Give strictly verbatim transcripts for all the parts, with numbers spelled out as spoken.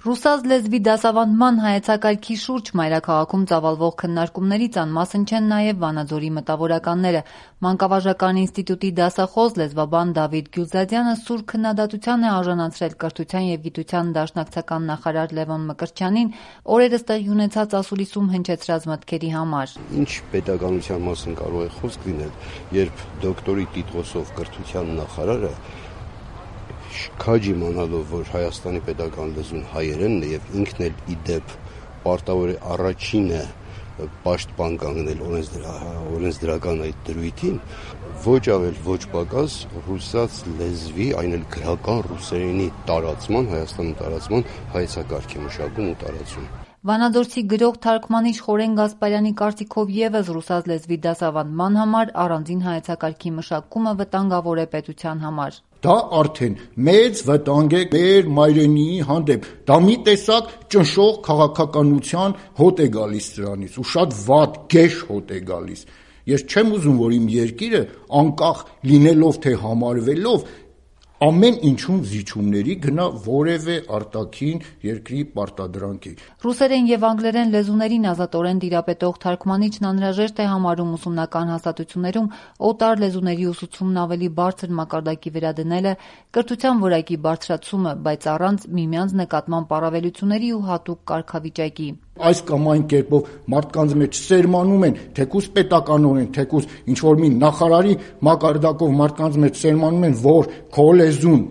Ռուսաց լեզվի դասավանդման հայեցակարգի շուրջ մայրաքաղաքում ծավալվող քննարկումներից անմասն չեն նաև Վանաձորի մտավորականները։ Մանկավարժական ինստիտուտի դասախոս լեզվաբան Դավիթ Գյուլզադյանը սուր քննադատության է արժանացրել կրթության և գիտության դաշնակցական նախարար Լևոն Մկրտչյանին օրերս տեղի ունեցած ասուլիսում հնչեցրած մտքերի համար։ Ինչ պետականության մասին կարող է խոսք լինել, երբ դոկտորի տիտղոսով կրթության նախարարը քաջ իմանալով, որ Հայաստանի պետական լեզուն հայերենն է և ինքն էլ ի դեպ պարտավոր է առաջինը պաշտպան կանգնել օրենսդրական այդ դրույթին, ոչ ավել ոչ պակաս ռուսաց լեզվի, այն էլ գրական ռուսերենի տարածման, Հայաստանի տարածման հայեցակարգ է մշակում ու տարածում։ Վանաձորցի գրող թարգմանիչ Խորեն Գասպարյանի կարծիքով ևս ռուսաց լեզվի դասավանդման համար առանձին հայեցակարգի մշակումը վտանգավոր է պետության համար։ Դա արդեն մեծ վտանգ է մեր մայրենիի հանդեպ, դա մի տեսակ ճնշող քաղաքականության հոտ է գալիս դրանից ու շատ վատ գեշ հոտ է գալիս։ Ես չեմ ուզում, որ իմ երկիրը անկախ լինելով թե համարվելով ամեն ինչում զիջումների գնա որևէ արտաքին երկրի պարտադրանքի։ Ռուսերեն և անգլերեն լեզուներին ազատորեն տիրապետող թարգմանիչն անհրաժեշտ է համարում ուսումնական հաստատություններում օտար լեզուների ուսուցումն ավելի բարձր մակարդակի վրա դնելը, կրթության որակի բարձրացումը, բայց առանց միմյանց նկատմամբ առավելությունների ու հատուկ կարգավիճակի։ Այս կամ այն կերպով մարդկանց մեջ սերմանում են, թեկուզ պետականորեն, թեկուզ ինչ-որ մի նախարարի մակարդակով մարդկանց մեջ սերմանում են, որ քո լեզուն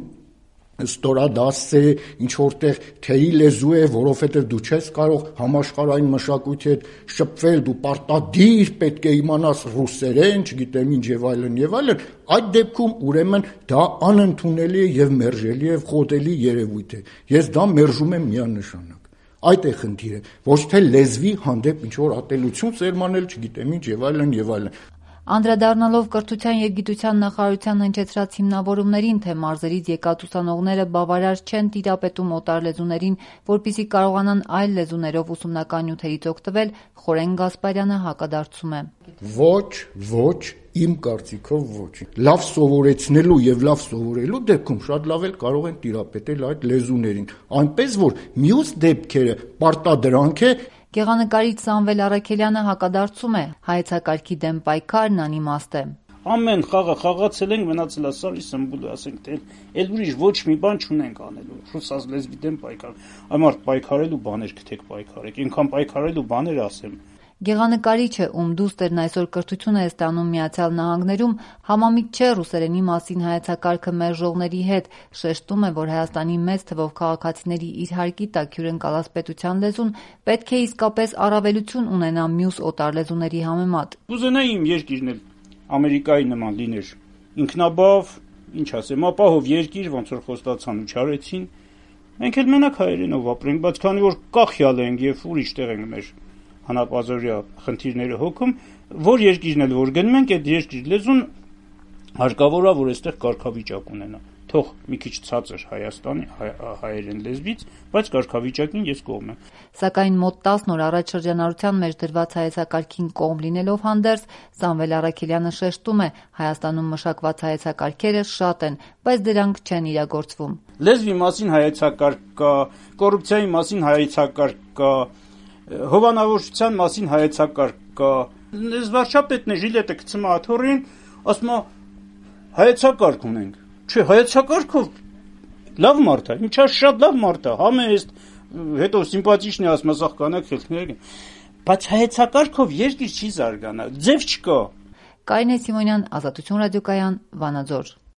ստորադաս է, ինչ-որտեղ թեյի լեզու է, որովհետև դու չես կարող համաշխարհային մշակույթի հետ շփվել, դու պարտադիր պետք է իմանաս ռուսերեն, չգիտեմ ինչ եւ այլն եւ այլն, այդ դեպքում ուրեմն դա անընդունելի է եւ մերժելի եւ խոտելի երևույթ է։ Ես դա մերժում եմ միանշանակ։ Այդ է խնդիրը, ոչ թե լեզվի հանդեպ ինչ-որ ատելություն սերմանել, չգիտեմ ինչ եւ այլն եւ այլն։ Անդրադառնալով կրթության և գիտության նախարարության հնչեցրած հիմնավորումներին, թե մարզերից եկած ուսանողները բավարար չեն տիրապետում օտար լեզուներին, որպեսզի կարողանան այլ լեզուներով ուսումնական նյութերից օգտվել, Խորեն Գասպարյանը հակադարձում է։ Ոչ, ոչ, իմ կարծիքով ոչ։ Լավ սովորեցնելու եւ լավ սովորելու դեպքում շատ լավ էլ կարող են տիրապետել այդ լեզուներին, այնպես որ մյուս դեպքերը պարտադրանք է։ Գեղանկարիչ Սամվել Առաքելյանը հակադարձում է, հայեցակարգի դեմ պայքարն անիմաստ է։ Ամեն խաղը խաղացել ենք, մնացել է սարի սմբուլը, ասենք թե էլ ուրիշ ոչ մի բան չունենք անելու։ Ռուսաց լեզվի դեմ պայքար։ Ամարտ պայքարելու բաներ գտեք պայքարեք, ինքան պայքարելու բաներ ասեմ։ Գեղանկարիչը, ում դուստերն այսօր կրթություն է ստանում Միացյալ Նահանգներում, համամիտ չէ ռուսերենի մասին հայեցակարգը մերժողների հետ, շեշտում է, որ Հայաստանի մեծ թվով քաղաքացիների իր հարկի տակ հյուրընկալած պետության լեզուն պետք է իսկապես առավելություն ունենա մյուս օտար լեզուների համեմատ։ Կուզենայի իմ երկիրն էլ Ամերիկայի նման լիներ, ինքնաբավ, ինչ ասեմ, ապահով երկիր, ոնց որ խոստացան ու չարեցին։ Մենք էլ մենակ հայերենով ապրենք, բայց քանի որ կախյալ ենք եւ ուրիշ տեղ ենք մեր հանապազորյա խնդիրները հոգում, որ երկիրն էլ որ գնում ենք, այդ երկրի լեզուն հարկավոր է, որ այստեղ կարգավիճակ ունենա։ Թող մի քիչ ցածր Հայաստանի հայերեն լեզվից, բայց կարգավիճակին ես կողմ եմ։ Սակայն մոտ տասն օր առաջ շրջանառության մեջ դրված հայեցակարգին կողմ լինելով հանդերձ, Սամվել Առաքելյանը շեշտում է, Հայաստանում մշակված հայեցակարգերը շատ են, բայց դրանք չեն իրագործվում։ Լեզվի մասին հայեցակարգ կա, կոռուպցիայի մասին հայեցակարգ կա, հովանավորության մասին հայեցակարգ կա։ Վարչապետն է ժիլետը գցում աթոռին, ասում է հայեցակարգ ունենք։ Չէ, հայեցակարգով լավ մարդ է, ինչա շատ լավ մարդ է, համեստ, հետո սիմպաթիչն է ասում, ասախ կանակ խելքներ, բայց հայեցակարգով երկիր չի զարգանա, ձև չկա։ Կարինե Սիմոնյան, Ազատություն ռադիոկայան, Վանաձոր։